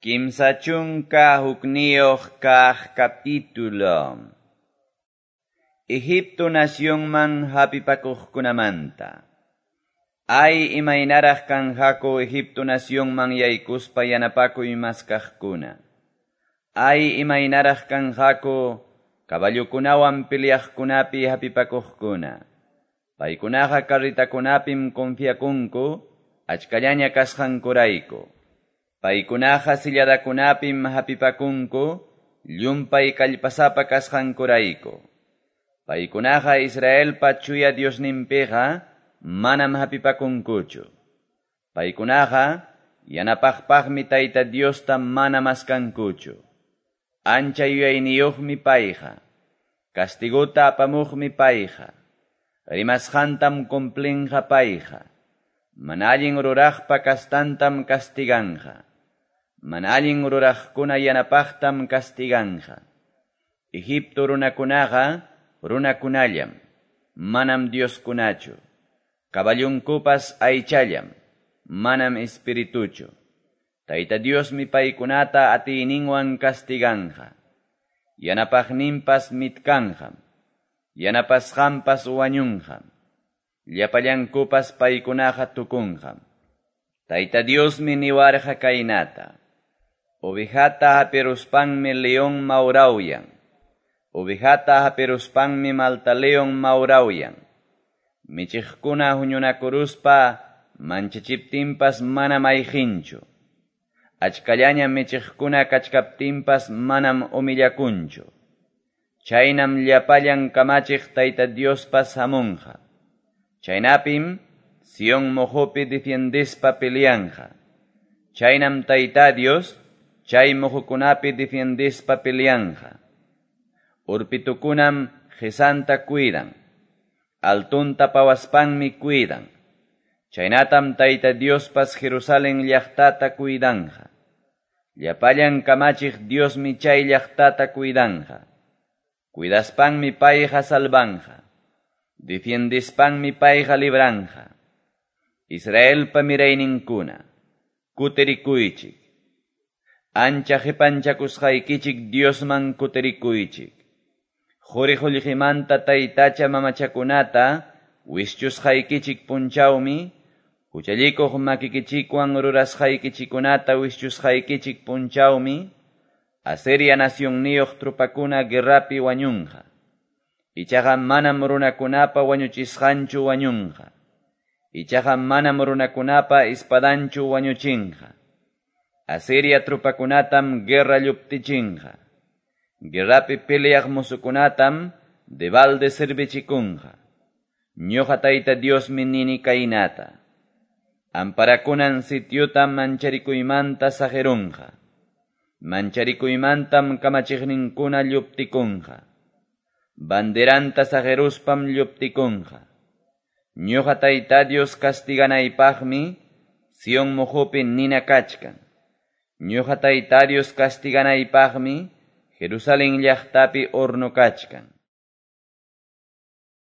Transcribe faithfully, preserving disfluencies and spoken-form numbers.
Kimsa chunka hukniyuq kaq capítulo. Egipto nacionman hapipakuqkunamanta. Ay imaynaraq kanqaku Egipto nacionman yaykuspa yanapakuy maskaqkuna. Ay imaynaraq kanqaku caballokunawan peleaqkunapi hapipakuqkuna. Paykunaqa carritakunapim confiakunku achkallaña kasqankurayku. Paykunaqa silladakunapim hapipakunku llumpay kallpasapa kasqankurayku. Paykunaqa Israelpa chuya Diosninpiqa manam hapipakunkuchu. Paykunaqa yanapaqpaqmi Tayta Diosta mana maskankuchu. Ancha yuyayniyuqmi payqa. Castigota apamuqmi payqa. Rimasqantam cumplinqa payqa. Mana allin ruraqpa kastantam castiganqa. Mana allin ruraqkuna yanapaqtam castiganqa. Egipto runakunaqa runakunallam, manam Dioskunachu. Caballunkupas aychallam, manam espirituchu. Tayta Diosmi paykunata atiyninwan castiganqa. Yanapaqninpas mitkanqam, yanapasqanpas wañunqam. Llapallankupas paykunaqa tukunqam. Tayta Diosmi niwarqa kaynata. Ovejata hapiruspanmi león mawrawyan. Ovejata hapiruspanmi malta león mawrawyan. Michiqkuna huñunakuruspa manchachiptinpas manam ayqinchu. Achkallaña michiqkuna kachkaptinpas manam humillakunchu. Chaynam llapallan kamachiq Tayta Diospas hamunqa. Chaynapim Sion mojopi defiendispa peleanqa. Chaynam Tayta Dios chay mojokunapi defiendispa peleanqa. Urpitukunam qisanta cuidan. Altunta pawaspanmi cuidan. Chaynatam Tayta Diospas Jerusalén llaqtata cuidanqa. Llapallan kamachiq Diosmi chay llaqtata cuidanqa. Cuidaspanmi payqa salvanqa. Defiendispanmi payqa libranqa. Israelpa mirayninkuna, kutirikuychik. Ancha qipanchakusqaykichik Diosman kutirikuychik. Quri qullqimanta taytacha mamachakunata wischusqaykichik punchawmi, huchallikuq makikichikwan rurasqaykichikunata wischusqaykichik punchawmi, Asiria nacionniyuq trupakuna guerrapi wañunqa. Ichaqa manam runakunapa wañuchisqanchu wañunqa. Ichaqa manam runakunapa espadanchu wañuchinqa. Asiria trupakunatam guerra lluptichinqa. Guerrapi peleaq musukunatam debalde servichikunqa. Ñuqa Tayta Diosmi nini kaynata. Amparakunan sitiotam mancharikuymanta saqirunqa. Mancharikuymantam kamachiqninkuna lluptikunqa. Banderanta saqeruspam lluptikunqa. Ñuqa Tayta Dios castiganaypaqmi Sion mojopi nina kachkan. Ñuqa Tayta Dios castiganaypaqmi Jerusalén llaqtapi horno kachkan.